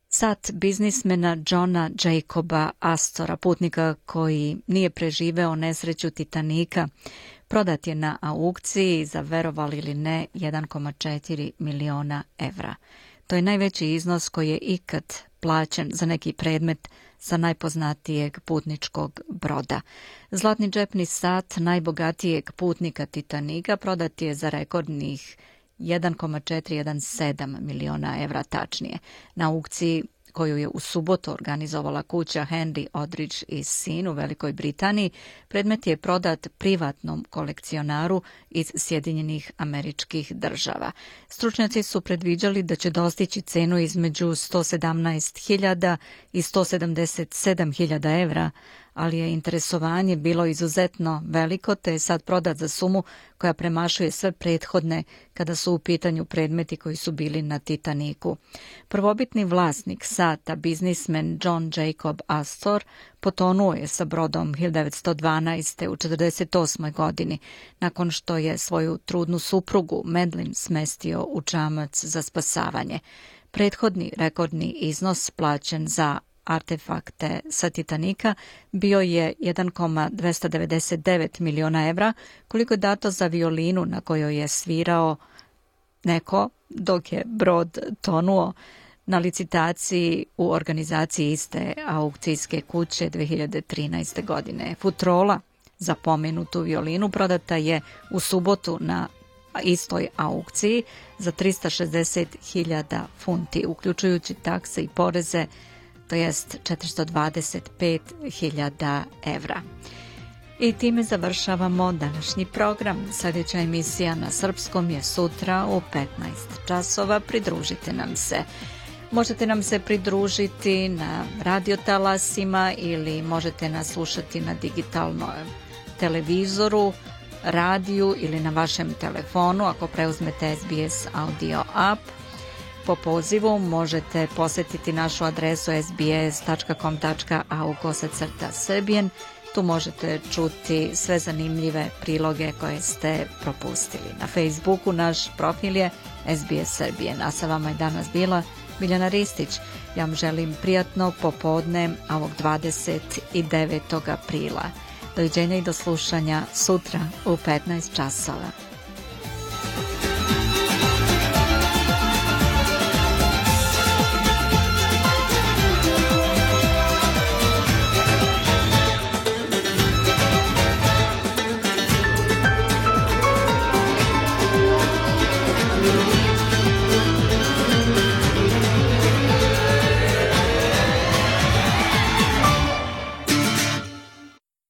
Sat biznismena Johna Jacoba Astora, putnika koji nije preživeo nesreću Titanika, prodat je na aukciji za, verovali ili ne, 1,4 miliona evra. To je najveći iznos koji je ikad plaćen za neki predmet sa najpoznatijeg putničkog broda. Zlatni džepni sat najbogatijeg putnika Titanika prodat je za rekordnih 1,417 miliona evra tačnije. Na aukciji koju je u subotu organizovala kuća Henry Odridge i sin u Velikoj Britaniji, predmet je prodat privatnom kolekcionaru iz Sjedinjenih Američkih Država. Stručnjaci su predviđali da će dostići cenu između 117.000 i 177.000 evra, ali je interesovanje bilo izuzetno veliko, te je sad prodat za sumu koja premašuje sve prethodne kada su u pitanju predmeti koji su bili na Titaniku. Prvobitni vlasnik sata, biznismen John Jacob Astor, potonuo je sa brodom 1912. u 48. godini, nakon što je svoju trudnu suprugu Madeline smestio u čamac za spasavanje. Prethodni rekordni iznos plaćen za artefakte sa Titanika bio je 1,299 miliona evra, koliko je dato za violinu na kojoj je svirao neko dok je brod tonuo na licitaciji u organizaciji iste aukcijske kuće 2013. godine. Futrola za pomenutu violinu prodata je u subotu na istoj aukciji za 360.000 funti, uključujući takse i poreze, to jest 425.000 evra. I time završavamo današnji program. Sljedeća emisija na srpskom je sutra u 15 časova. Pridružite nam se. Možete nam se pridružiti na radiotalasima ili možete nas slušati na digitalnom televizoru, radiju ili na vašem telefonu ako preuzmete SBS audio app. Po pozivu možete posjetiti našu adresu sbs.com.au/Srbijen. Tu možete čuti sve zanimljive priloge koje ste propustili. Na Facebooku naš profil je SBS Srbijen, a sa vama je danas bila Biljana Ristić. Ja vam želim prijatno popodne ovog 29. aprila. Doviđenja i do slušanja sutra u 15 časova.